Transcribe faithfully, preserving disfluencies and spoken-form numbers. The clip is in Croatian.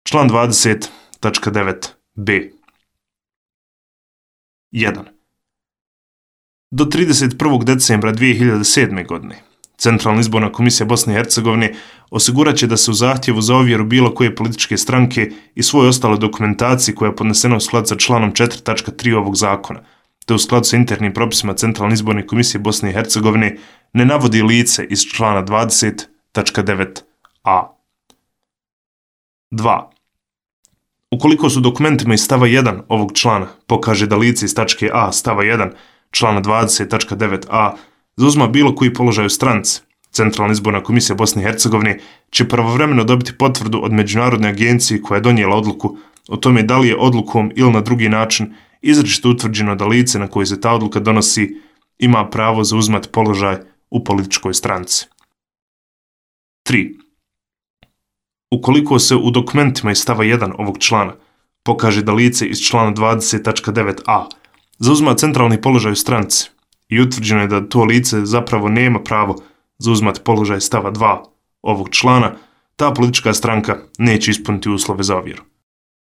Član dvadeset tačka devet b. jedan. Do trideset prvog decembra dvije hiljade sedme. godine Centralna izborna komisija Bosne i Hercegovine osigurat će da se u zahtjevu za ovjeru bilo koje političke stranke i svoje ostale dokumentacije koja je podnesena u skladu sa članom četiri tačka tri ovog zakona, te u skladu sa internim propisima Centralne izborne komisije Bosne i Hercegovine ne navodi lice iz člana dvadeset tačka devet a. dva. Ukoliko su dokumentima iz stava jedan ovog člana pokaže da lice iz tačke a stava jedan člana dvadeset tačka devet a zauzima bilo koji položaj u stranci, Centralna izborna komisija Bosne i Hercegovine će pravovremeno dobiti potvrdu od međunarodne agencije koja je donijela odluku o tome da li je odlukom ili na drugi način izričito utvrđeno da lice na koje se ta odluka donosi ima pravo zauzimati položaj u političkoj stranci. tri. Ukoliko se u dokumentima iz stava jedan ovog člana pokaže da lice iz člana dvadeset tačka devet a zauzima centralni položaj u stranci i utvrđeno je da to lice zapravo nema pravo zauzimati položaj stava dva ovog člana, ta politička stranka neće ispuniti uslove za ovjeru.